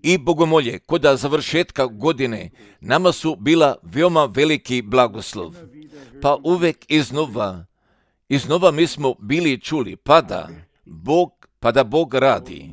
I bogomolje kod završetka godine nama su bila veoma veliki blagoslov. Pa uvek iznova mi smo bili čuli, pa da Bog radi,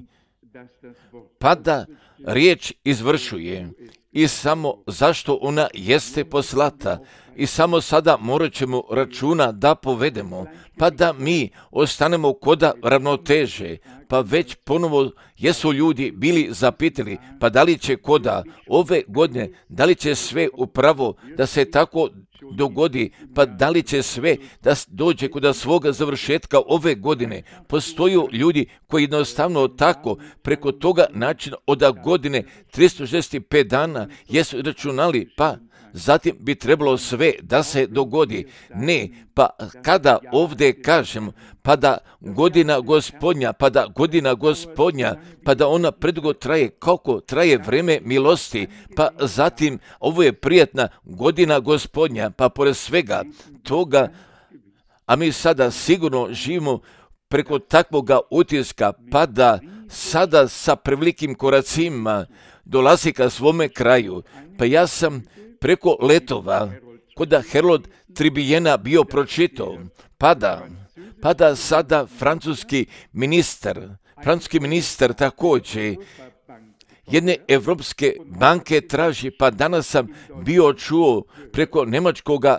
pa da riječ izvršuje i samo zašto ona jeste poslata i samo sada morat ćemo računa da povedemo, pa da mi ostanemo koda ravnoteže, pa već ponovo jesu ljudi bili zapitali, pa da li će koda ove godine, da li će sve upravo da se tako dogodi, pa da li će sve da dođe kod svoga završetka ove godine. Postoju ljudi koji jednostavno tako preko toga načina od godine 365 dana jesu računali, pa zatim bi trebalo sve da se dogodi. Ne, pa kada ovdje kažem, pa da godina gospodnja, pa da ona predugo traje, kako traje vreme milosti, pa zatim ovo je prijatna godina gospodnja, pa pored svega toga, a mi sada sigurno živimo preko takvoga utiska, pa da sada sa prevelikim koracima dolazi ka svome kraju. Pa ja sam preko letova kod Herold Tribijena bio pročitao, pa da sada francuski ministar također jedne evropske banke traži, pa danas sam bio čuo preko njemačkoga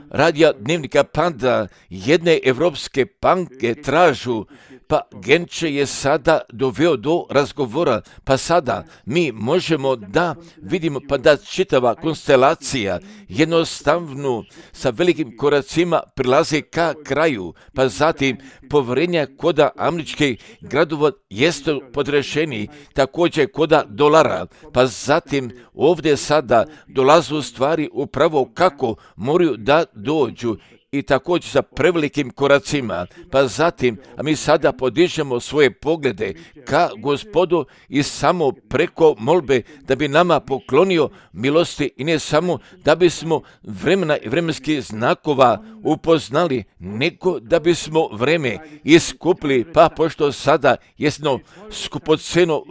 radija dnevnika, pa da jedne evropske banke tražu, pa Genče je sada doveo do razgovora, pa sada mi možemo da vidimo, pa da čitava konstelacija jednostavno sa velikim koracima prilazi ka kraju, pa zatim poverenja koda američkih gradova jeste podrešeni, također koda dolara, pa zatim ovdje sada dolazu stvari upravo kako moraju da dođu i također sa prevelikim koracima, pa zatim, a mi sada podižemo svoje poglede ka Gospodu i samo preko molbe da bi nama poklonio milosti i ne samo da bismo vremena i vremenskih znakova upoznali, nego da bismo vreme iskupili, pa pošto sada jesno skupoceno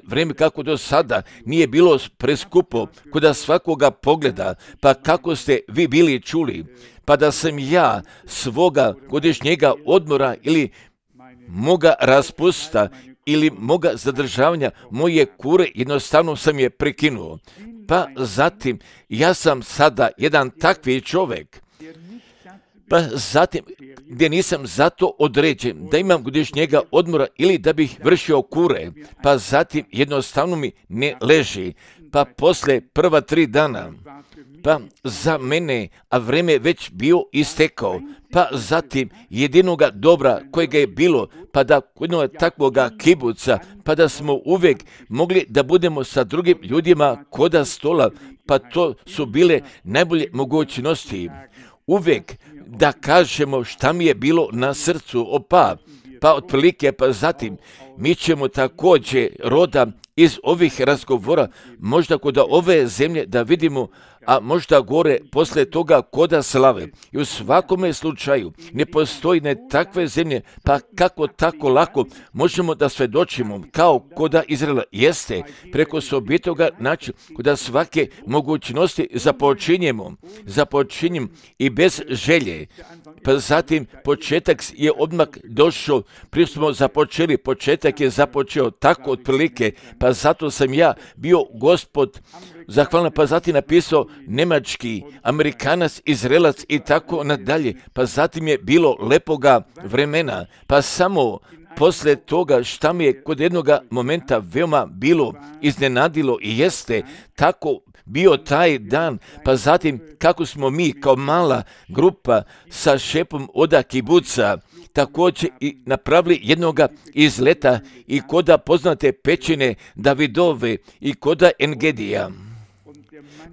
vreme kako do sada nije bilo preskupo kod svakoga pogleda, pa kako ste vi bili čuli, pa da sam ja svoga godišnjega odmora ili moga raspusta ili moga zadržavanja moje kure, jednostavno sam je prekinuo. Pa zatim ja sam sada jedan takvi čovjek, pa zatim gdje nisam zato određen da imam godišnjega odmora ili da bih vršio kure, pa zatim jednostavno mi ne leži, pa posle prva 3 dana, pa za mene, a vreme već bio istekao, pa zatim jedinoga dobra kojega je bilo, pa da jednog takvoga kibuca, pa da smo uvijek mogli da budemo sa drugim ljudima koda stola, pa to su bile najbolje mogućnosti. Uvijek da kažemo šta mi je bilo na srcu, pa otprilike, pa zatim mi ćemo također roda iz ovih razgovora, možda kod ove zemlje da vidimo, a možda gore posle toga koda slave. I u svakome slučaju ne postoji ne takve zemlje, pa kako tako lako možemo da svedočimo kao koda Izraela jeste preko sobitoga načina, koda svake mogućnosti započinjem i bez želje. Pa zatim početak je odmah došao, prije smo započeli, početak je započeo tako otprilike, pa zato sam ja bio Gospod zahvalan, pa zatim napisao Njemački, Amerikanac, Izraelac i tako nadalje, pa zatim je bilo lepoga vremena, pa samo posle toga šta mi je kod jednoga momenta veoma bilo iznenadilo i jeste tako bio taj dan, pa zatim kako smo mi kao mala grupa sa šepom oda kibuca također i napravili jednoga izleta i koda poznate pećine Davidove i koda Engedija.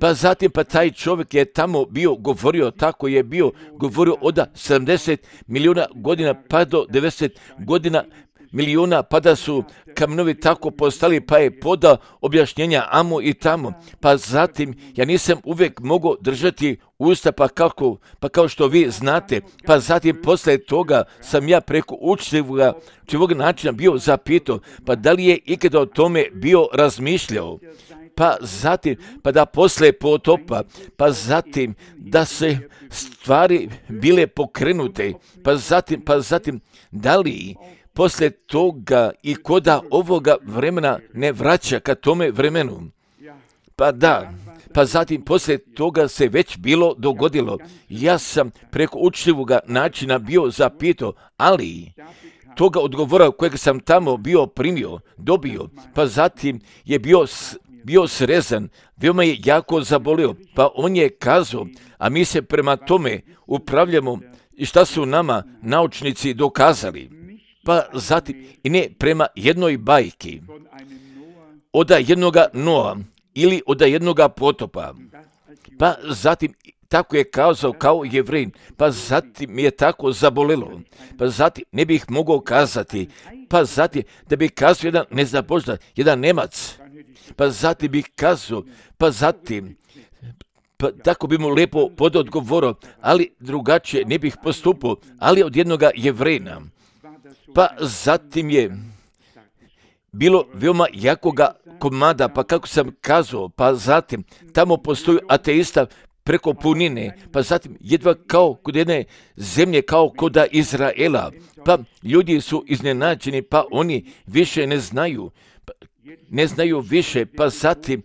Pa zatim pa taj čovjek je tamo bio govorio, tako je bio govorio od 70 milijuna godina pa do 90 godina milijuna, pa da su kamenovi tako postali, pa je podao objašnjenja amo i tamo. Pa zatim ja nisam uvijek mogao držati usta, pa kao što vi znate, pa zatim poslije toga sam ja preko učivog načina bio zapitao, pa da li je ikada o tome bio razmišljao, pa zatim, pa da poslije potopa, pa zatim da se stvari bile pokrenute, pa zatim da li poslije toga i koda ovoga vremena ne vraća ka tome vremenu. Pa da, pa zatim poslije toga se već bilo dogodilo. Ja sam preko učljivoga načina bio zapitao, ali toga odgovora kojeg sam tamo bio dobio, pa zatim je bio srezan, veoma je jako zabolio, pa on je kazao, a mi se prema tome upravljamo i šta su nama naučnici dokazali. Pa zatim, i ne prema jednoj bajki, od jednoga Noa ili od jednoga potopa. Pa zatim, tako je kazao kao Jevrin, pa zatim je tako zabolelo. Pa zatim ne bih mogao kazati, pa zatim da bih kazao jedan nezaboždan, jedan Nemac, pa zatim bih kazao, pa zatim, pa tako bi mu lepo pododgovorao, ali drugačije ne bih postupao, ali od jednoga Jevrina. Pa zatim je bilo veoma jakoga komada, pa kako sam kazao, pa zatim tamo postoji ateista preko punine, pa zatim jedva kao kod jedne zemlje, kao kod Izraela, pa ljudi su iznenađeni, pa oni više ne znaju više, pa zatim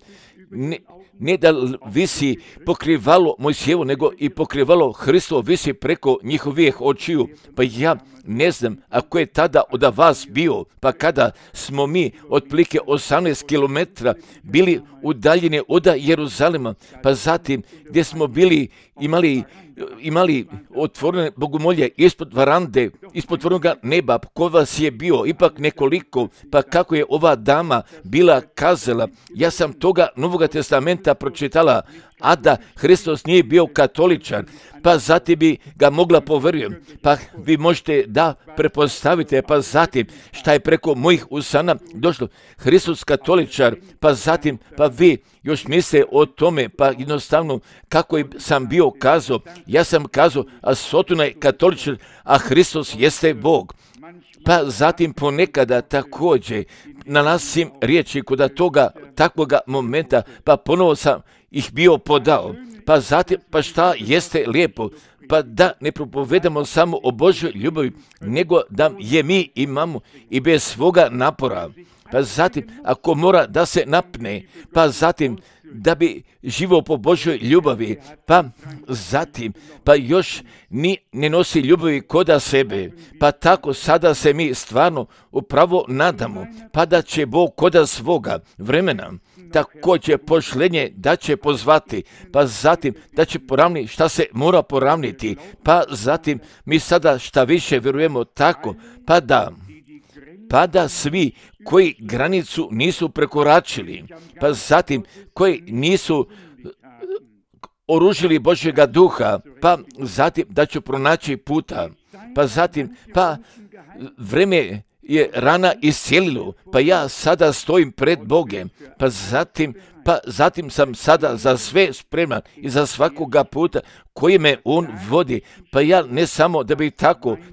ne da visi pokrivalo Mojsijevo, nego i pokrivalo Hristovo visi preko njihovih očiju. Pa ja ne znam ako je tada od vas bio, pa kada smo mi otprilike 18 km bili udaljeni od Jeruzalema, pa zatim gdje smo bili imali otvorene bogomolje ispod varande, ispod otvorenog neba, ko vas je bio, ipak nekoliko, pa kako je ova dama bila kazala, ja sam toga Novog testamenta pročitala, a da Hristos nije bio katoličan, pa zatim bi ga mogla povjerujem, pa vi možete da prepostavite, pa zatim šta je preko mojih usana došlo, Hristos katoličar, pa zatim, pa vi još misle o tome, pa jednostavno kako sam bio kazao, ja sam kazao, a Sotona je katoličar, a Hristos jeste Bog. Pa zatim ponekada također nalazim riječi kod toga takvoga momenta, pa ponovo sam ih bio podao. Pa zatim, pa šta jeste lijepo, pa da ne propovedamo samo o Božoj ljubavi, nego da je mi imamo i bez svoga napora. Pa zatim, ako mora da se napne, pa zatim da bi živio po Božoj ljubavi, pa zatim, pa još ne nosi ljubavi koda sebe, pa tako sada se mi stvarno upravo nadamo, pa da će Bog koda svoga vremena također pošlenje da će pozvati, pa zatim da će poravniti šta se mora poravniti, pa zatim mi sada šta više vjerujemo tako, pa da svi koji granicu nisu prekoračili, pa zatim koji nisu oružili Božjega duha, pa zatim da će pronaći puta, pa zatim, pa vreme je rana iscijelilo, pa ja sada stojim pred Bogem, pa zatim sam sada za sve spreman i za svakoga puta koji me on vodi, pa ja ne samo da bih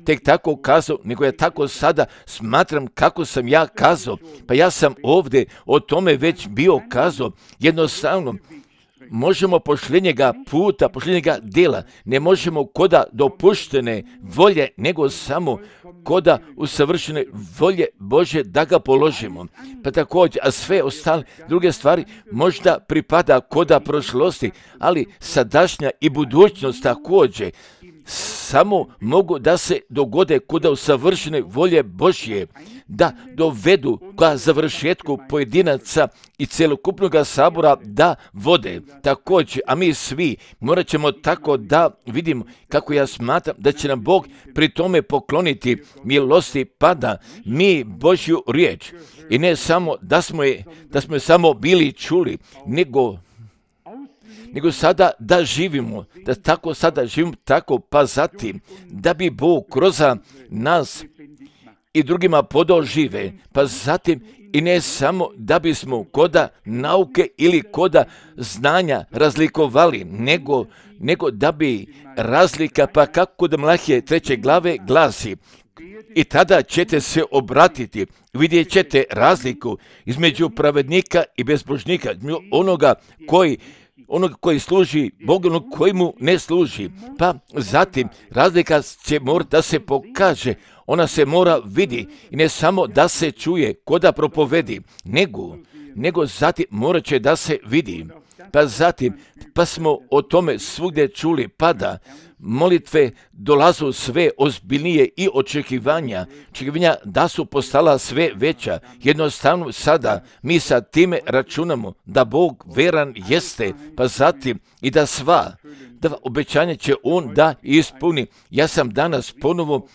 tek tako kazao, nego ja tako sada smatram kako sam ja kazao, pa ja sam ovdje o tome već bio kazao, jednostavno možemo pošljenjega puta, pošljenjega djela, ne možemo koda dopuštene volje, nego samo koda usavršene volje Bože da ga položimo. Pa također, a sve ostale druge stvari možda pripada koda prošlosti, ali sadašnja i budućnost također samo mogu da se dogode koda usavršene volje Božje, da dovedu ka završetku pojedinaca i celokupnog sabora da vode. Također, a mi svi morat ćemo tako da vidimo kako ja smatram da će nam Bog pri tome pokloniti milosti, pa da mi Božju riječ i ne samo da smo je samo bili čuli, nego sada da živimo, da tako sada živimo tako, pa zatim da bi Bog kroz nas i drugima podao žive, pa zatim i ne samo da bismo koda nauke ili koda znanja razlikovali, nego nego da bi razlika, pa kako da Mlahije 3. glave glasi, i tada ćete se obratiti, vidjet ćete razliku između pravednika i bezbožnika, onoga koji služi Bogu, onog koji mu ne služi. Pa zatim razlika će morati da se pokaže, ona se mora vidi i ne samo da se čuje ko da propovedi, nego zatim morat će da se vidi. Pa zatim, pa smo o tome svugdje čuli, pa da molitve dolazu sve ozbiljnije i očekivanja da su postala sve veća. Jednostavno sada mi sa time računamo da Bog veran jeste, pa zatim i da obećanje će On da ispuni. Ja sam danas ponovo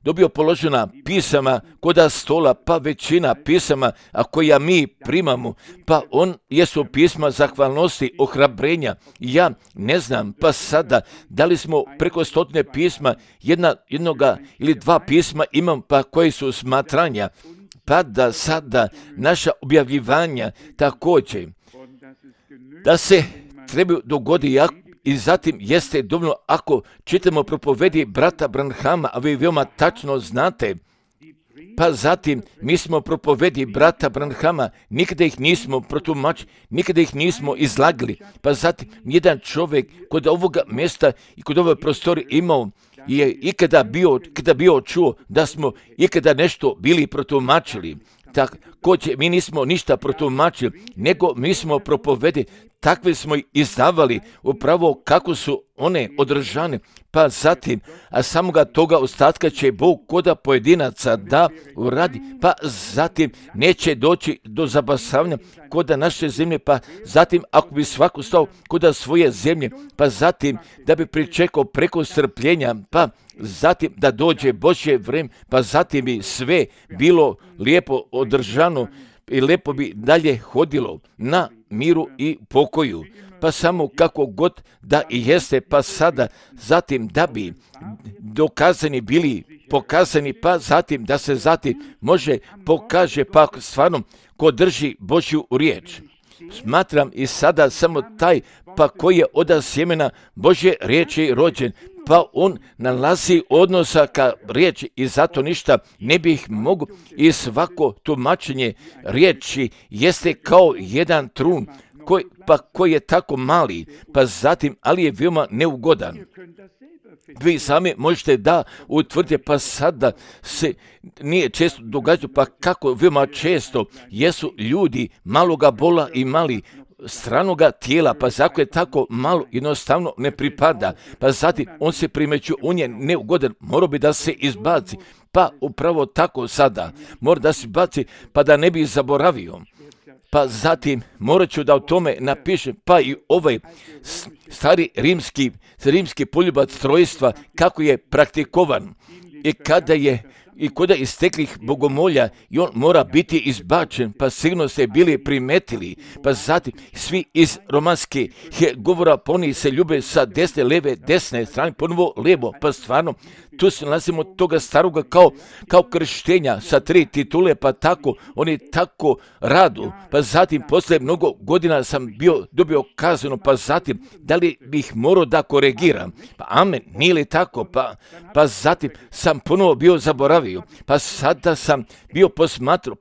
dobio položena pisama koda stola, pa većina pisama, a koja mi primamo, pa jesu pisma zahvalnosti, ohrabrenja. Ja ne znam, pa sada, da li smo preko 100 pisma, jednoga ili 2 pisma imam, pa koji su smatranja, pa da sada naša objavljivanja također, da se trebaju dogoditi i zatim jeste dovoljno ako čitamo propovedi brata Branhama, a vi veoma tačno znate, pa zatim mi smo propovedi brata Branhama, nikada ih nismo protumačili, nikada ih nismo izlagali, pa zatim jedan čovjek kod ovoga mjesta i kod ove prostori imao je ikada bio čuo da smo ikada nešto bili protumačili. Također mi nismo ništa protumačili, nego mi smo propovedi, takve smo ih izdavali upravo kako su one održane, pa zatim, a samoga toga ostatka će Bog koda pojedinaca da uradi, pa zatim neće doći do zabasavanja koda naše zemlje, pa zatim ako bi svako stao koda svoje zemlje, pa zatim da bi pričekao preko strpljenja, pa zatim da dođe Božje vrijeme, pa zatim bi sve bilo lijepo održano i lijepo bi dalje hodilo na miru i pokoju. Pa samo kako god da i jeste, pa sada zatim da bi dokazani bili pokazani, pa zatim da se zatim može pokaže, pa stvarno ko drži Božju riječ. Smatram i sada samo taj pa koji je od sjemena Božje riječi rođen, pa on nalazi odnosa ka riječi i zato ništa ne bih mogu i svako tumačenje riječi jeste kao jedan trun koji je tako mali, pa zatim ali je veoma neugodan. Vi sami možete da utvrdite, pa sada se nije često događalo, pa kako veoma često jesu ljudi maloga bola i mali stranoga tijela, pa zako je tako malo, jednostavno ne pripada, pa zatim on se primeću, on je neugodan, morao bi da se izbaci, pa upravo tako sada, mora da se izbaci, pa da ne bi zaboravio. Pa zatim morat ću da o tome napišem, pa i ovaj stari rimski poljubac trojstva, kako je praktikovan i kod isteklih bogomolja i on mora biti izbačen, pa sigurno ste bili primetili, pa zatim svi iz romanske govora poni se ljube sa desne, leve, desne strane, ponovo lijevo, pa stvarno tu se nalazimo toga staroga kao krštenja sa 3 titule, pa tako, oni tako radu, pa zatim posle mnogo godina sam dobio kazano, pa zatim da li bih morao da koregiram, pa amen, nije li tako, pa zatim sam ponovo bio zaboravio, pa sada sam bio posmatrao,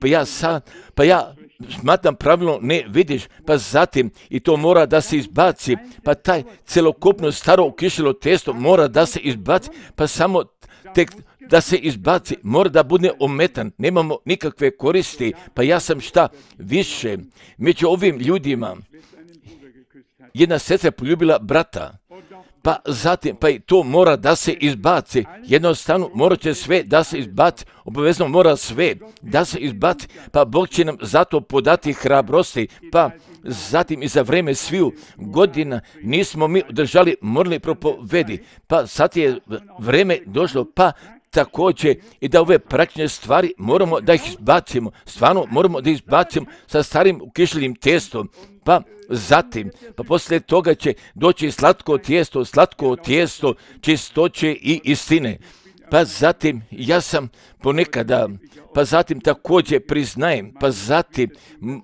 pa ja smatram pravilno ne vidiš, pa zatim i to mora da se izbaci, pa taj celokupno staro kišilo testo mora da se izbaci, pa samo tek da se izbaci, mora da bude ometan, nemamo nikakve koristi, pa ja sam šta više, među ovim ljudima, jedna sestra poljubila brata, pa zatim, pa i to mora da se izbaci, jednostavno mora će sve da se izbaci, obavezno mora sve da se izbaci, pa Bog će nam zato podati hrabrosti, pa zatim i za vreme sviju godina nismo mi održali moralne propovedi, pa sad je vreme došlo, pa također i da ove praktične stvari moramo da ih izbacimo, stvarno moramo da izbacimo sa starim ukišljenim testom, pa zatim, pa poslije toga će doći slatko tijesto čistoće i istine. Pa zatim, ja sam ponekada, pa zatim također priznajem, pa zatim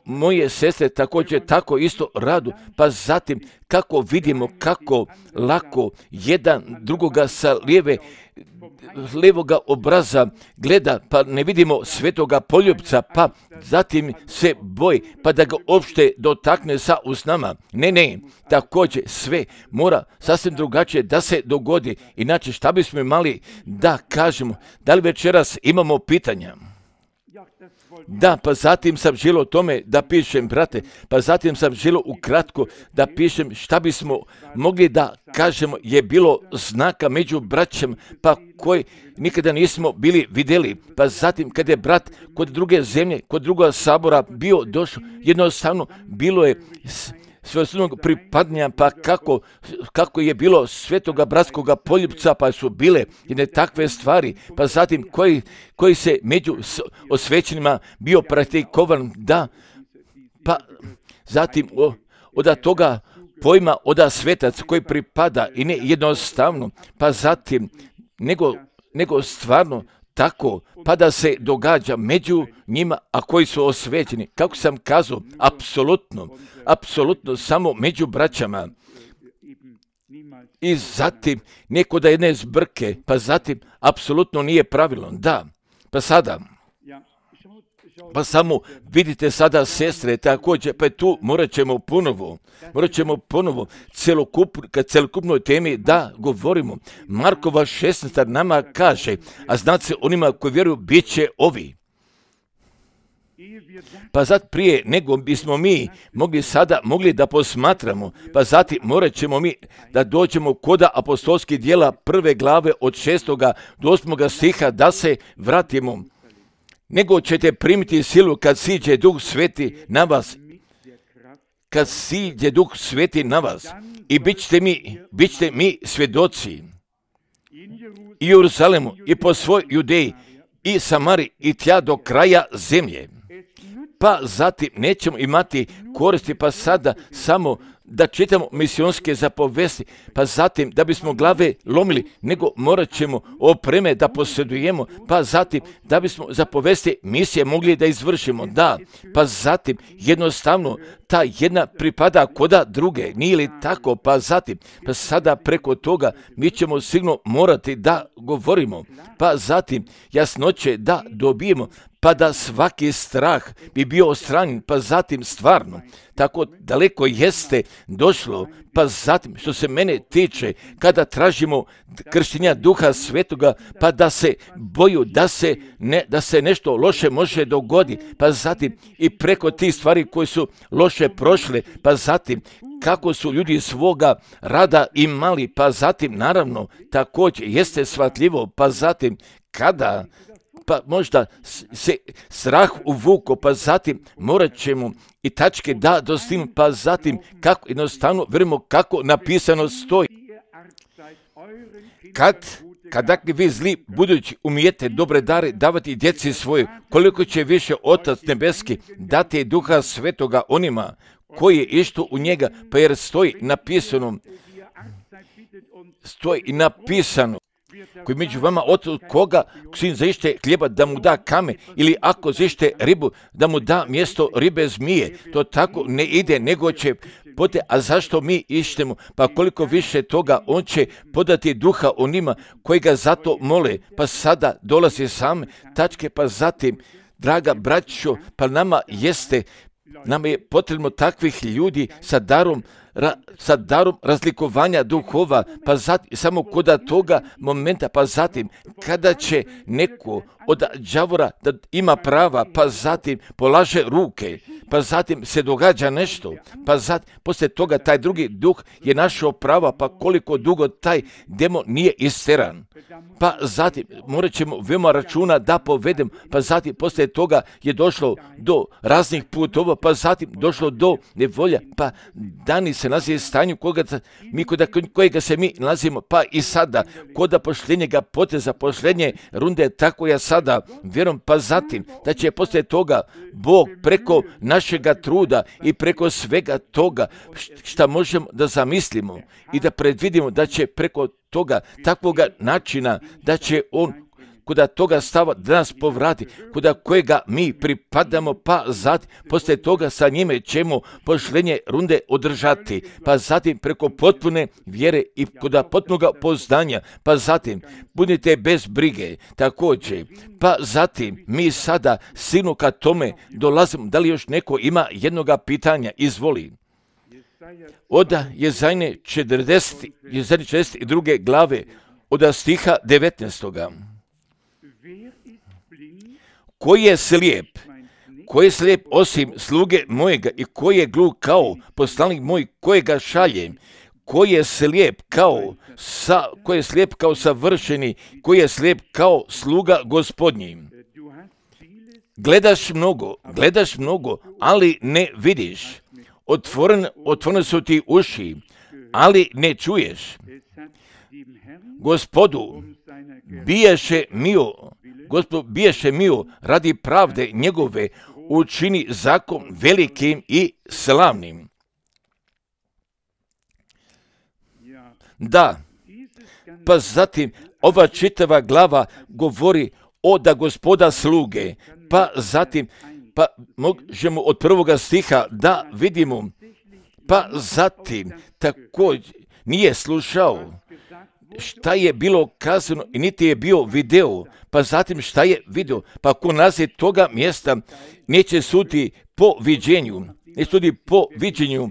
moje sestre također tako isto radu, pa zatim kako vidimo kako lako jedan drugoga sa lijevoga obraza gleda, pa ne vidimo svetoga poljupca, pa zatim se boji, pa da ga uopšte dotakne sa usnama. Ne, također sve mora sasvim drugačije da se dogodi. Inače, šta bismo imali da kažemo? Da li večeras imamo pitanja? Da, pa zatim sam želio o tome da pišem, brate, pa zatim sam želio ukratko da pišem šta bismo mogli da kažemo je bilo znaka među braćama, pa koji nikada nismo bili vidjeli. Pa zatim kad je brat kod druge zemlje, kod druga sabora bio došao, jednostavno bilo je svojstvenog pripadnja, pa kako je bilo svetoga bratskoga poljupca, pa su bile jedne takve stvari, pa zatim koji se među osvećenima bio praktikovan, da, pa zatim od toga pojma od svetac koji pripada i ne jednostavno, pa zatim nego stvarno tako, pa da se događa među njima, a koji su osvećeni. Kako sam kazao, apsolutno samo među braćama. I zatim, neko da jedne zbrke, pa zatim, apsolutno nije pravilno. Da, pa sada, pa samo vidite sada sestre, također, pa tu morat ćemo ponovo celokupnoj temi da govorimo. Markova 16. nama kaže, a znate onima koji vjeruju bit će ovi. Pa zato prije nego bismo mi mogli da posmatramo, pa zatim morat ćemo mi da dođemo koda apostolskih djela 1. glave od 6. do 8. stiha da se vratimo. Nego ćete primiti silu kad siđe Duh Sveti na vas. I bit ćete mi svjedoci i Jeruzalemu i po svoj Judeji i Samari i tja do kraja zemlje. Pa zatim nećemo imati koristi, pa sada samo da čitamo misionske zapovesti, pa zatim da bismo glave lomili, nego morat ćemo opreme da posjedujemo, pa zatim da bismo zapovesti misije mogli da izvršimo, da, pa zatim jednostavno ta jedna pripada koda druge, nije li tako, pa zatim, pa sada preko toga mi ćemo sigurno morati da govorimo, pa zatim jasnoće da dobijemo, pa da svaki strah bi bio odstranjen, pa zatim stvarno, tako daleko jeste došlo, pa zatim što se mene tiče, kada tražimo krštenja Duha Svetoga, pa da se boju da se nešto loše može dogoditi, pa zatim i preko tih stvari koje su loše prošle, pa zatim kako su ljudi svoga rada imali, pa zatim naravno također jeste shvatljivo, pa zatim kada pa možda se strah uvuko, pa zatim morat ćemo i tačke da dostignu, pa zatim kako jednostavno vjerujemo kako napisano stoji. Kada vi zli budući umijete dobre dare davati djeci svoje, koliko će više Otac nebeski dati Duha Svetoga onima koji je išto u njega, pa jer stoji napisano, koji među vama od koga sin zaište hljeba da mu da kamen, ili ako zaište ribu da mu da mjesto ribe zmije. To tako ne ide, nego će a zašto mi ištemo? Pa koliko više toga on će podati Duha onima koji ga zato mole. Pa sada dolazi same tačke, pa zatim, draga braćo, pa nama je potrebno takvih ljudi sa darom razlikovanja duhova, pa zatim, samo koda toga momenta, pa zatim, kada će neko od đavora da ima prava, pa zatim polaže ruke, pa zatim se događa nešto, pa zatim, poslije toga taj drugi duh je našao prava, pa koliko dugo taj demon nije isteran. Pa zatim, morat ćemo veoma računa da povedem, pa zatim, poslije toga je došlo do raznih putova, pa zatim došlo do nevolja, pa dani se nalazi stanju kojega se mi nalazimo, pa i sada, koda pošljenjega poteza, pošljenje runde, tako ja sada vjerujem, pa zatim, da će poslije toga Bog preko našega truda i preko svega toga šta možemo da zamislimo i da predvidimo da će preko toga, takvoga načina, da će on kuda toga stava da nas povrati, kuda kojega mi pripadamo, pa zatim poslije toga sa njime ćemo pošlenje runde održati, pa zatim preko potpune vjere i kuda potpunoga poznanja, pa zatim budite bez brige također, pa zatim mi sada sinu ka tome dolazimo. Da li još neko ima jednoga pitanja? Izvoli. Oda Jezajne 42. glave, oda stiha 19. Koji je slijep osim sluge mojega i koji je gluh kao poslanik moj kojega šaljem, koji je slijep kao savršeni, koji je slijep kao sluga gospodnji. Gledaš mnogo, ali ne vidiš. Otvorene su ti uši, ali ne čuješ. Gospodu biješe mio radi pravde njegove, učini zakon velikim i slavnim. Da, pa zatim ova čitava glava govori o da Gospoda sluge, pa zatim možemo od 1. stiha da vidimo, pa zatim također nije slušao šta je bilo kazano i niti je bio video, pa zatim šta je video, pa ko nazi toga mjesta neće suditi po viđenju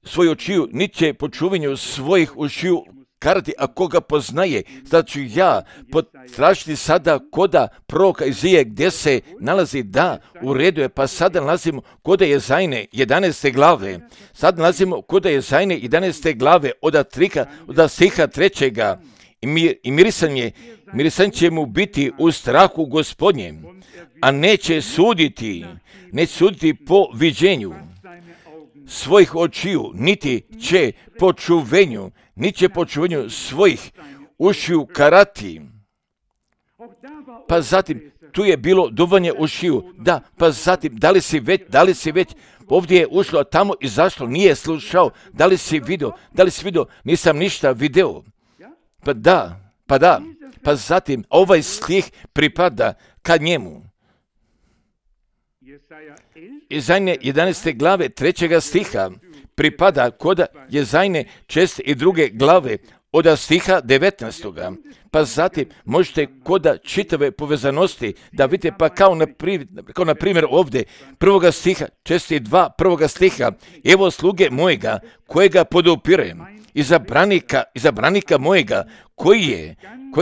svojih očiju, niti će po čuvanju svojih ušiju karati, a koga poznaje. Sad ću ja potražiti sada koda proroka Izije gdje se nalazi, da, u redu je, pa sada nalazimo koda Jezajne 11. glave. Sad nalazimo koda Jezajne 11. glave od stiha 3. I mirisan će mu biti u strahu Gospodnjem, a neće suditi po viđenju svojih očiju, niti će po čuvenju svojih ušiju karati. Pa zatim, tu je bilo duvanje ušiju, da, pa zatim, da li si već, ovdje je ušlo, a tamo izašlo, nije slušao, da li si vidio, nisam ništa video. Pa da, pa zatim, ovaj stih pripada ka njemu. Jezajne 11. glave 3. stiha pripada koda Jezajne 62. glave od stiha 19. Pa zatim možete koda čitave povezanosti da vidite, pa kao na primjer ovdje 1. stiha 62. 1. stiha, evo sluge mojega kojega podupirem, izabranika mojega koji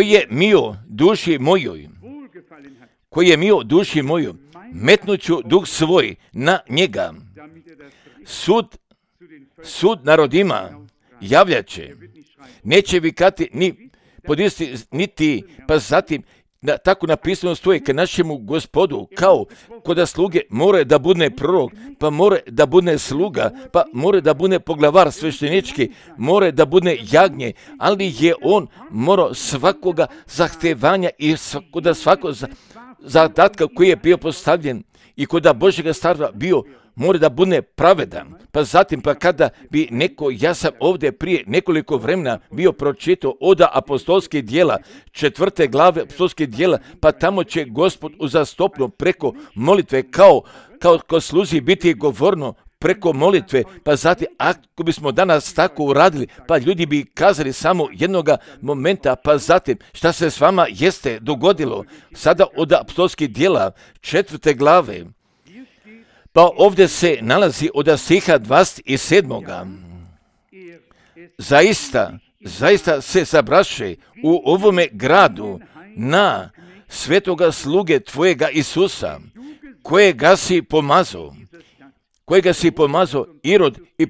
je mio duši mojoj, metnuću duh svoj na njega. Sud narodima javljaće, neće vikati ni podisti niti, pa zatim tako napisano stoji ka našemu Gospodu, kao koda sluge more da bude prorok, pa more da bude sluga, pa more da bude poglavar sveštenički, more da bude jagnje, ali je on morao svakoga zahtevanja i svako zadatka koji je bio postavljen i koda Božjega starva bio, mora da bude pravedan. Pa zatim, pa kada bi ja sam ovdje prije nekoliko vremena bio pročitao oda apostolskih djela, 4. glave apostolskih djela, pa tamo će Gospod uzastopno preko molitve kao sluzi biti govorno preko molitve, pa zatim ako bismo danas tako uradili, pa ljudi bi kazali samo jednoga momenta, pa zatim šta se s vama jeste dogodilo sada od apostolskih djela 4. glave. Pa ovdje se nalazi od stiha 27. Zaista se sabraše u ovome gradu na svetoga sluge tvojega Isusa, kojega si pomazao Irod i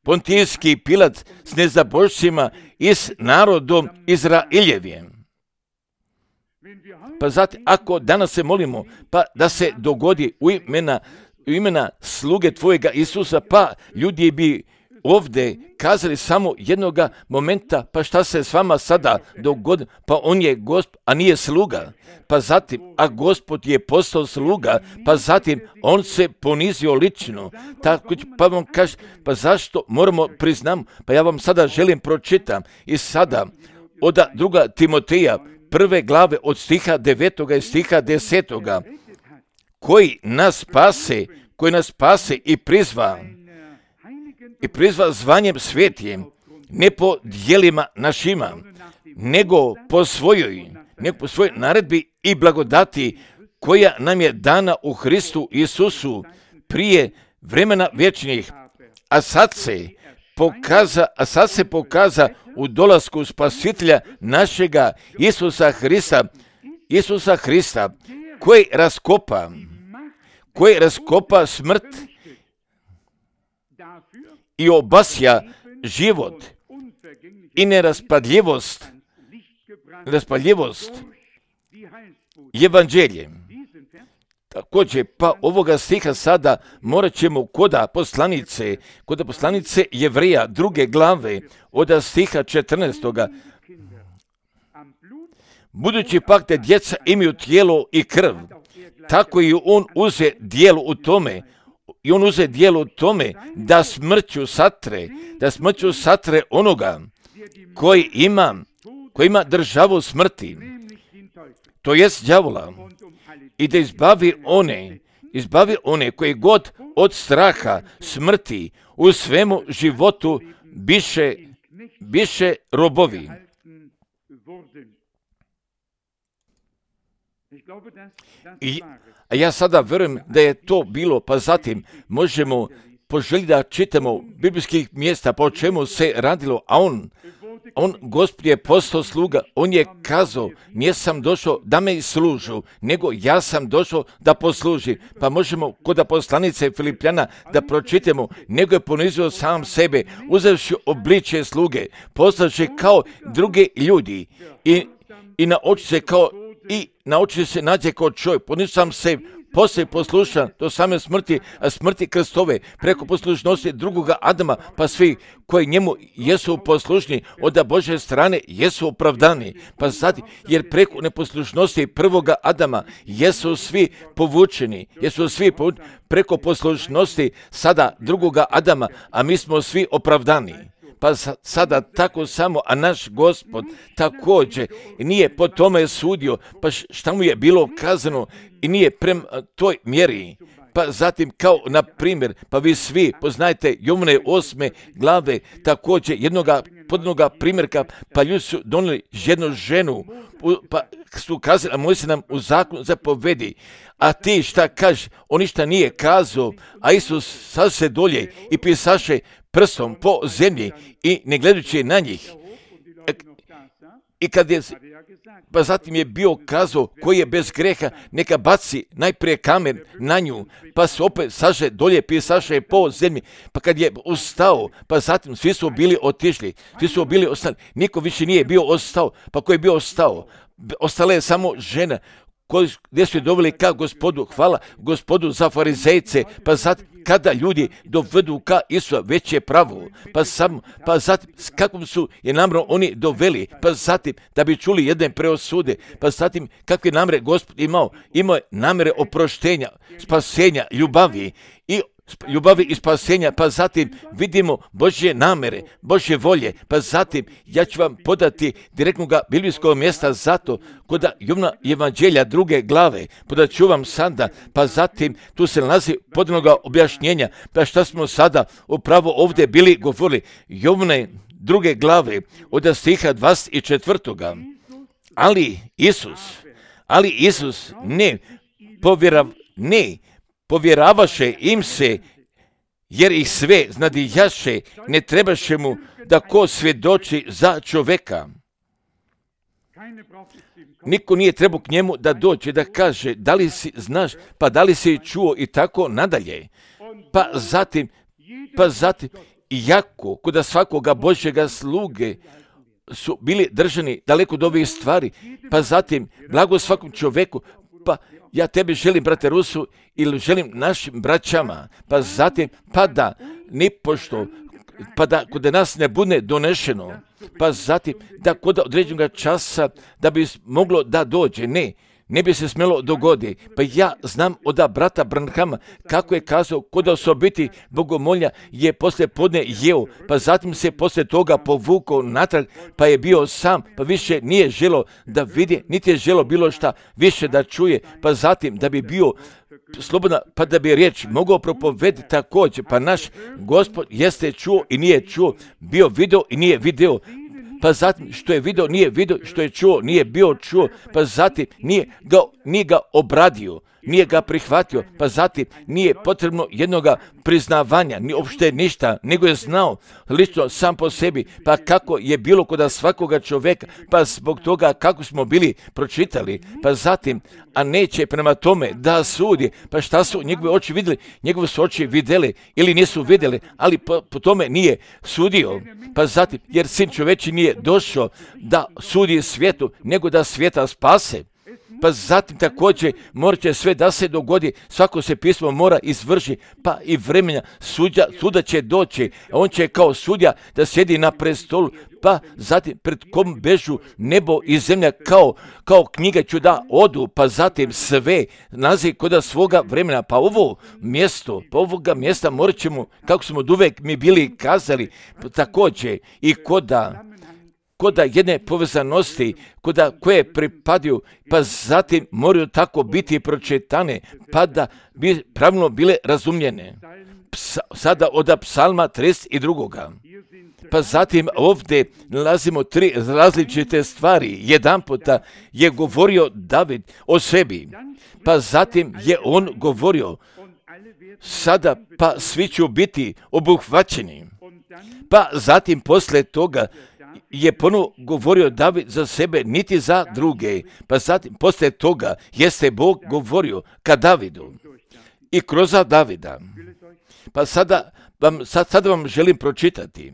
Pontijski Pilat s nezabožcima i s narodom Izraeljevim. Pa zatim, ako danas se molimo, pa da se dogodi u imena sluge tvojega Isusa, pa ljudi bi ovdje kazali samo jednoga momenta, pa šta se s vama sada dogodi, pa on je Gospod, a nije sluga. Pa zatim, a Gospod je postao sluga, pa zatim on se ponizio lično. Tako, pa vam kaže, pa zašto moramo priznam, pa ja vam sada želim pročitam i sada od 2. Timoteja 1. glave od stiha 9. i stiha 10. koji nas spase i prizva zvanjem svetim, ne po djelima našima, nego po svojoj naredbi i blagodati koja nam je dana u Hristu Isusu prije vremena vječnih, a sad se pokaza u dolasku Spasitelja našega Isusa Hrista, koji raskopa smrt i obasja život i neraspadljivost evanđeljem. Također, pa ovoga stiha sada morat ćemo kod poslanice Jevreja 2. glave od stiha 14. Budući pak da djeca imaju tijelo i krv, tako i on uze dijelo u tome da smrću satre onoga koji ima državu smrti, to jest đavola, i da izbavi one koji god od straha smrti u svemu životu biše robovi. A ja sada vjerujem da je to bilo, pa zatim možemo poželjeti da čitamo biblijskih mjesta po čemu se radilo, a on Gospod je postao sluga, on je kazao, nisam došao da me služu, nego ja sam došao da posluži. Pa možemo kod poslanice Filipljana da pročitamo, nego je ponizio sam sebe, uzevši obličje sluge, postavši kao druge ljudi i na oči se nađe kao čovjek, ponizio sam se, poslije poslušan do same smrti, a smrti krstove, preko poslušnosti drugoga Adama, pa svi koji njemu jesu poslušni od Božje strane jesu opravdani. Pa zatim, jer preko neposlušnosti prvoga Adama jesu svi povučeni, preko poslušnosti sada drugoga Adama, a mi smo svi opravdani. Pa sada tako samo, a naš Gospod također nije po tome sudio, pa šta mu je bilo kazano i nije prema toj mjeri. Pa zatim, kao na primjer, pa vi svi poznajete Jovane 8. glave, također jednoga primjerka, pa ljudi su donijeli jednu ženu, pa su kazali, a moj se nam u zakonu zapovedi, a ti šta kažeš, on ništa nije kazao, a Isus sad se dolje i pisaše prstom po zemlji i ne gledajući na njih. I kad je, pa zatim je bio kazao koji je bez greha, neka baci najprije kamen na nju, pa se opet saže dolje, pisaše po zemlji. Pa kad je ustao, pa zatim svi su bili otišli, ostali, niko više nije bio ostao. Pa ko je bio ostao? Ostala je samo žena gdje su je doveli ka Gospodu, hvala Gospodu za farizejce, pa zatim kada ljudi dovedu ka Isusa, već je pravo, pa zatim s kakvom su je namjerom oni doveli, pa zatim da bi čuli jedne preosude, pa zatim kakve namjere Gospod imao je namjere oproštenja, spasenja, ljubavi i spasenja, pa zatim vidimo Božje namjere, Božje volje, pa zatim ja ću vam podati direktnog biblijskog mjesta zato kod Jovana evanđelja 2. glave, podat ću vam sada, pa zatim tu se nalazi podanoga objašnjenja, pa šta smo sada upravo ovdje bili govorili, Jovane 2. glave od stiha 24. Ali Isus ne povjeravaše im se, jer ih sve znadijaše, ne trebaše mu da ko svjedoči za čovjeka. Niko nije trebao k njemu da dođe, da kaže, da li si znaš, pa da li si čuo i tako nadalje. Pa zatim, iako kod svakoga Božjega sluge su bili držani daleko od ovih stvari, pa zatim, blago svakom čovjeku, pa ja tebi želim, brate Rusu, ili želim našim braćama, pa zatim, pa da nipošto, pa da kod nas ne bude donešeno, pa zatim da kod određenog časa da bi moglo da dođe, ne bi se smjelo dogoditi. Pa ja znam od brata Branhama kako je kazao kod osobiti bogomolja je poslije podne jeo, pa zatim se poslije toga povukao natrag, pa je bio sam, pa više nije želo da vidi, niti je želo bilo šta više da čuje, pa zatim da bi bio slobodna, pa da bi riječ mogao propovedati također, pa naš Gospod jeste čuo i nije čuo, bio video i nije video, pa zatim što je video nije video, što je čuo nije bio čuo, pa zatim nije ga obradio, nije ga prihvatio, pa zatim nije potrebno jednoga priznavanja, ni uopšte ništa, nego je znao lično sam po sebi, pa kako je bilo kod svakoga čovjeka, pa zbog toga kako smo bili pročitali, pa zatim, a neće prema tome da sudi, pa šta su njegove oči vidjeli, njegove su oči vidjeli ili nisu vidjeli, ali po tome nije sudio, pa zatim, jer sin čoveči nije došao da sudi svijetu, nego da svijeta spase. Pa zatim također morat će sve da se dogodi, svako se pismo mora izvrši, pa i vremena suda će doći, a on će kao sudja da sjedi na prestolu, pa zatim pred kom bežu nebo i zemlja kao knjiga ću da odu, pa zatim sve nalazi kod svoga vremena, pa ovoga mjesta morat ćemo, kako smo od uvek mi bili kazali, također i koda jedne povezanosti, koje pripadaju, pa zatim moraju tako biti pročitane, pa da bi pravilno bile razumljene. Sada od psalma 32. Pa zatim ovdje nalazimo 3 različite stvari. Jedan puta je govorio David o sebi, pa zatim je on govorio, sada pa svi ću biti obuhvaćeni. Pa zatim poslije toga je ponovo govorio David za sebe, niti za druge. Pa zatim, poslije toga, jeste Bog govorio ka Davidu i kroz Davida. Pa sada vam želim pročitati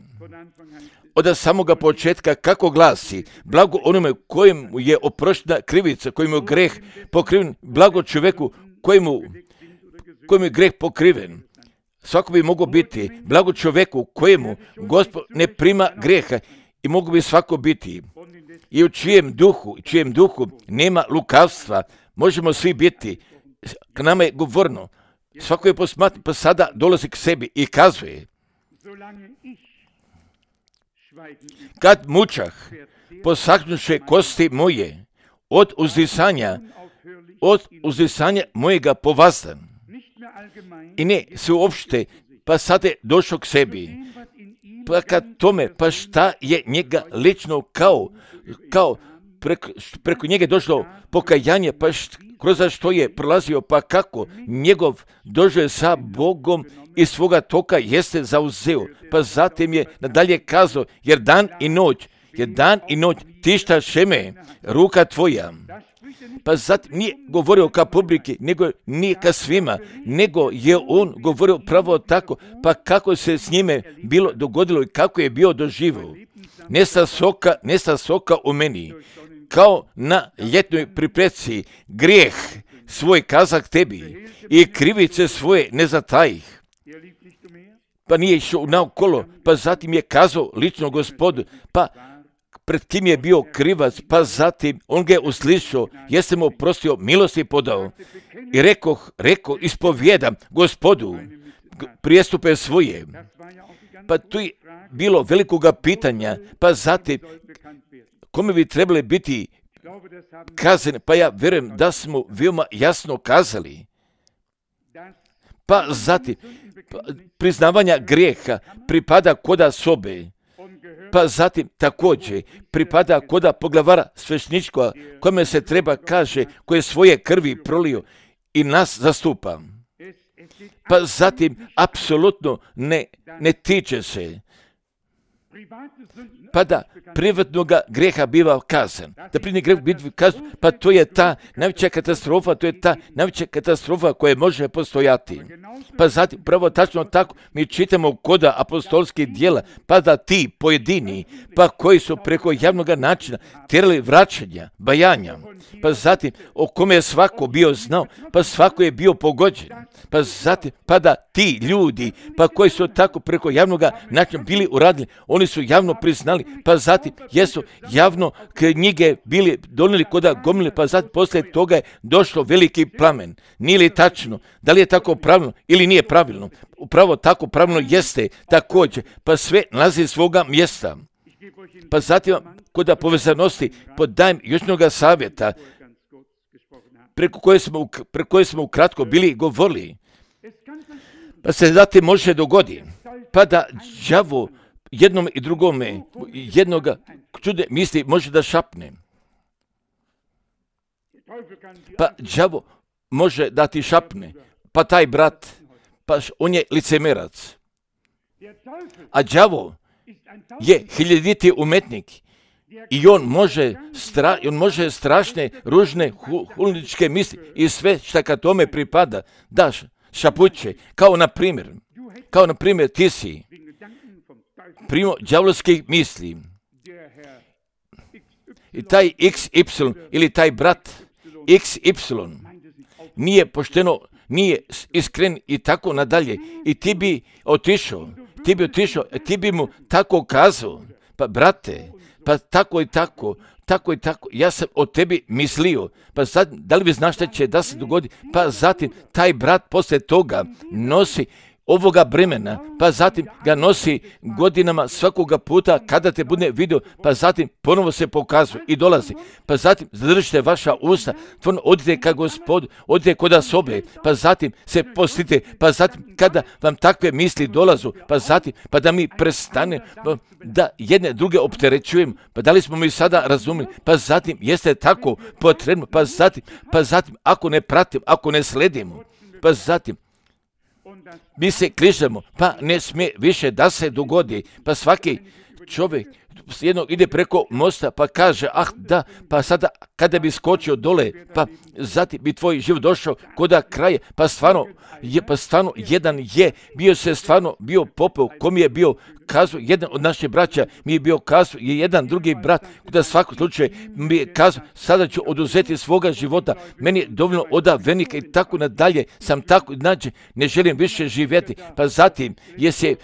od samoga početka kako glasi, blago onome kojemu je oproštena krivica, kojemu je greh pokriven, blago čovjeku kojemu je greh pokriven. Svako bi mogao biti blago čovjeku kojemu Gospod ne prima greha, i mogu bi svako biti. I u čijem duhu nema lukavstva, možemo svi biti. K nama je govorno. Svako je posmatran, pa sada dolazi k sebi i kazuje. Kad mučah, posaknuše kosti moje, od uzdisanja mojega povazdan. I ne se uopšte, pa sada je došao k sebi. Pa kad tome, pa šta je njega lično kao preko njega došlo pokajanje, pa kroz što je prolazio, pa kako njegov doživljaj sa Bogom i svoga toka jeste zauzeo. Pa zatim je nadalje kazao, jer dan i noć tišta šeme, ruka tvoja. Pa zatim nije govorio ka publiki, nego nije ka svima, nego je on govorio pravo tako, pa kako se s njime bilo dogodilo i kako je bio doživio. Nesta soka u meni, kao na ljetnoj pripreci, grijeh svoj kazak tebi i krivice svoje ne zatajih. Pa nije išao naokolo, pa zatim je kazao lično Gospodu, pa pred kim je bio krivac, pa zatim on ga je uslišao, jeste mu oprostio, milosti podao. I reko, ispovijedam Gospodu prijestupe svoje. Pa tu je bilo velikoga pitanja, pa zatim kome bi trebali biti kazane, pa ja vjerujem da smo veoma jasno kazali. Pa zatim priznavanja grijeha pripada koda sobe. Pa zatim također pripada koda poglavara svešničkoga, kome se treba kaže, koje svoje krvi prolio i nas zastupa. Pa zatim apsolutno ne tiče se. Pa da privatnoga greha biva kazan. Da privatni greh biva kazan, pa to je ta najveća katastrofa, koja može postojati. Pa zatim, pravo tačno tako, mi čitamo koda apostolskih djela, pa da ti pojedini, pa koji su preko javnog načina terali vraćanja, bajanja, pa zatim o kome je svako bio znao, pa svako je bio pogođen, pa zatim, pa da ti ljudi, pa koji su tako preko javnog načina bili uradili, oni oni su javno priznali, pa zatim jesu javno knjige bili donijeli koda gomile, pa zatim poslije toga je došlo veliki plamen. Nije li tačno? Da li je tako pravilno ili nije pravilno? Upravo tako pravilno jeste također, pa sve nalazi svoga mjesta. Pa zatim koda povezanosti podajem još jednoga savjeta preko koje smo ukratko bili govorili. Pa se zatim može dogoditi, pa da đavo jednom i drugome jednoga čude misli može da šapne. Pa đavo može da ti šapne, pa taj brat, pa on je licemerac. A đavo je hiljaditi umetnik i on može strašne, ružne, hulničke misli i sve šta ka tome pripada, daš šapuće, kao na primjer ti si primo đavolskih misli i taj XY ili taj brat XY nije pošteno, nije iskren i tako nadalje i ti bi otišao, ti bi mu tako kazao, pa brate, pa tako i tako, ja sam o tebi mislio, pa sad, da li vi znaš šta će da se dogodi, pa zatim taj brat poslije toga nosi ovoga bremena, pa zatim ga nosi godinama svakoga puta kada te bude vidio, pa zatim ponovo se pokazuje i dolazi, pa zatim zadržite vaša usta, tvorno odite ka Gospodu, odite koda sobe, pa zatim se postite, pa zatim kada vam takve misli dolazu, pa zatim, pa da mi prestane, da jedne druge opterećujemo, pa da li smo mi sada razumili, pa zatim jeste tako potrebno, pa zatim ako ne pratimo, ako ne sledimo, pa zatim mi se kližemo, pa ne smije više da se dogodi, pa svaki čovjek jednog ide preko mosta pa kaže, da, pa sada kada bi skočio dole, pa zatim bi tvoj život došao koda kraje, pa stvarno jedan je, bio popeo, kom je bio kazao, jedan od naših braća mi je bio kazao, je jedan drugi brat, da svakom slučaju mi je kazao, sada ću oduzeti svoga života, meni je dovoljno oda venika i tako nadalje, sam tako, znači, ne želim više živjeti, pa zatim je se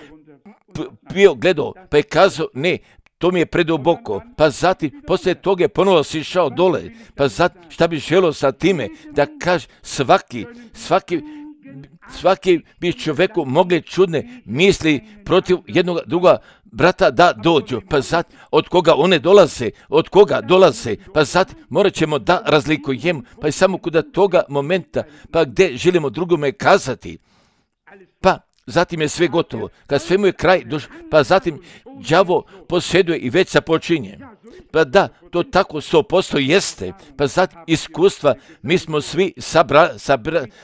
bio gledao, pa je kazao, ne, to mi je preduboko, pa zatim, poslije toga je ponovo sišao dole, pa zatim, šta bi želio sa time, da kaže, svaki bi čovjeku mogli čudne misli protiv jednog druga brata da dođu, pa zatim, od koga one dolaze, pa zatim, morat ćemo da razlikujemo, pa i samo kod toga momenta, pa gdje želimo drugome kazati, pa zatim je sve gotovo, kad svemu je kraj, pa zatim đavo posjeduje i već započinje. Pa da, to tako 100% jeste, pa zatim iskustva mi smo svi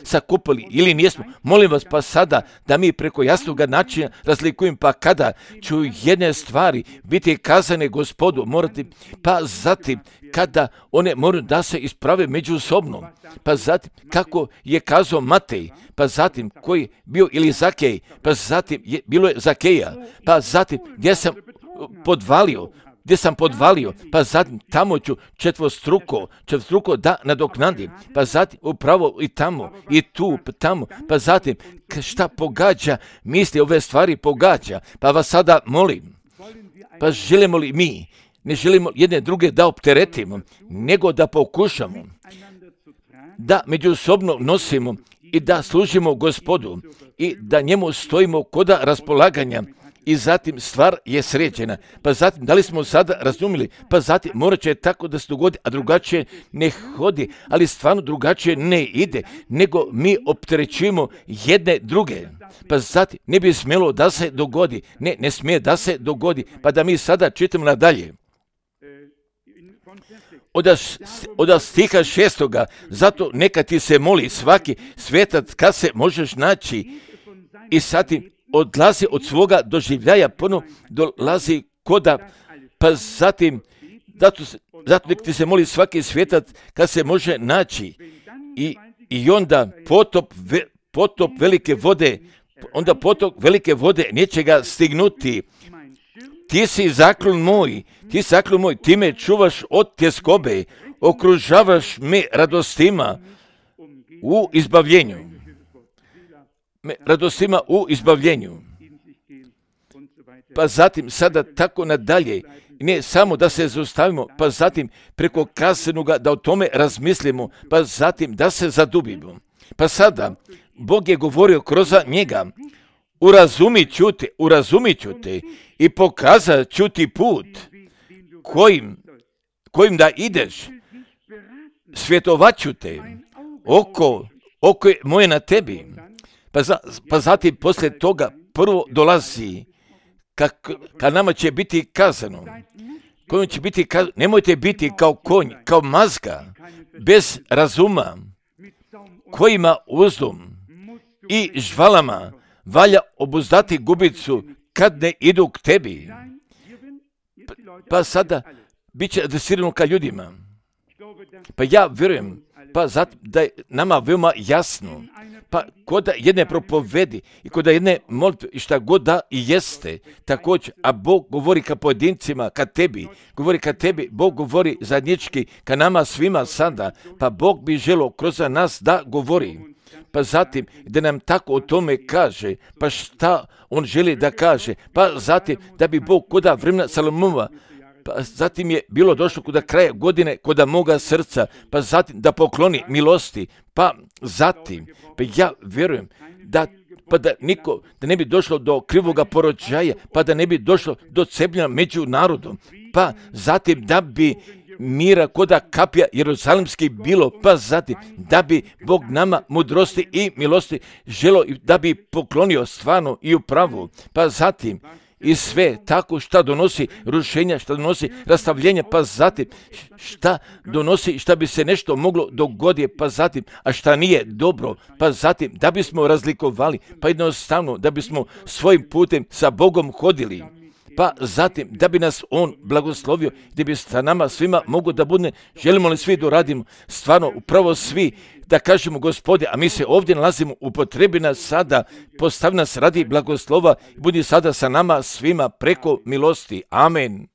sakupili ili nismo. Molim vas pa sada da mi preko jasnog načina razlikujemo, pa kada ću jedne stvari biti kazane Gospodu, morati, pa zatim kada one moraju da se isprave međusobno, pa zatim kako je kazao Matej, pa zatim koji je bio ili Zakej, pa zatim bilo je Zakeja, pa zatim gdje sam podvalio, pa zatim tamo ću četvostruko da nadoknadim, pa zatim upravo i tamo, i tu, tamo, pa zatim šta pogađa, misli ove stvari pogađa, pa vas sada molim, pa želimo li mi, ne želimo jedne druge da opteretimo, nego da pokušamo, da međusobno nosimo i da služimo Gospodu i da njemu stojimo koda raspolaganja. I zatim stvar je sređena. Pa zatim, da li smo sada razumili? Pa zatim, morat će tako da se dogodi, a drugačije ne hodi, ali stvarno drugačije ne ide, nego mi opterećujemo jedne druge. Pa zatim, ne bi smjelo da se dogodi, ne smije da se dogodi, pa da mi sada čitamo nadalje. Od stiha 6. Zato neka ti se moli svaki svetac kad se možeš naći i zatim odlazi od svoga doživljaja, ponovno dolazi koda, pa zatim, zato nek ti se moli svaki svetac kad se može naći i onda potop velike vode neće ga stignuti. Ti si zaklon moj, ti me čuvaš od tjeskobe, okružavaš me radostima u izbavljenju. pa zatim sada tako nadalje. Ne samo da se zaustavimo, pa zatim preko kasenoga da o tome razmislimo, pa zatim da se zadubimo. Pa sada, Bog je govorio kroz njega, urazumit ću te i pokazat ću ti put kojim da ideš, svjetovat ću te, oko je moje na tebi. Pa zatim poslije toga prvo dolazi, kad nama će biti kazano, nemojte biti kao konj, kao mazga, bez razuma, kojima uzdom i žvalama valja obuzdati gubicu kad ne idu k tebi. Pa sada bit će adresirano ka ljudima. Pa ja vjerujem, da je nama veoma jasno, pa kod da jedne propovedi i kod da jedne molitve i šta god da i jeste, također, a Bog govori ka pojedincima, ka tebi, Bog govori zajednički ka nama svima sada, pa Bog bi želio kroz nas da govori. Pa zatim da nam tako o tome kaže, pa šta on želi da kaže, pa zatim da bi Bog koda vremena Salomova, pa zatim je bilo došlo kod kraja godine, kod moga srca, pa zatim da pokloni milosti, pa zatim, pa ja vjerujem da ne bi došlo do krivoga porođaja, pa da ne bi došlo do cepljenja među narodom, pa zatim da bi mira koda kapija jeruzalemski bilo, pa zatim da bi Bog nama mudrosti i milosti želo da bi poklonio stvarno i u pravu, pa zatim i sve tako šta donosi rušenja, šta donosi rastavljenja, pa zatim šta donosi, šta bi se nešto moglo dogoditi, pa zatim, a šta nije dobro, pa zatim da bismo razlikovali, pa jednostavno da bismo svojim putem sa Bogom hodili, pa zatim da bi nas On blagoslovio, gdje bi sa nama svima mogo da bude, želimo li svi da radimo, stvarno upravo svi, da kažemo Gospode, a mi se ovdje nalazimo, upotrebi nas sada, postavi nas radi blagoslova, budi sada sa nama svima preko milosti. Amen.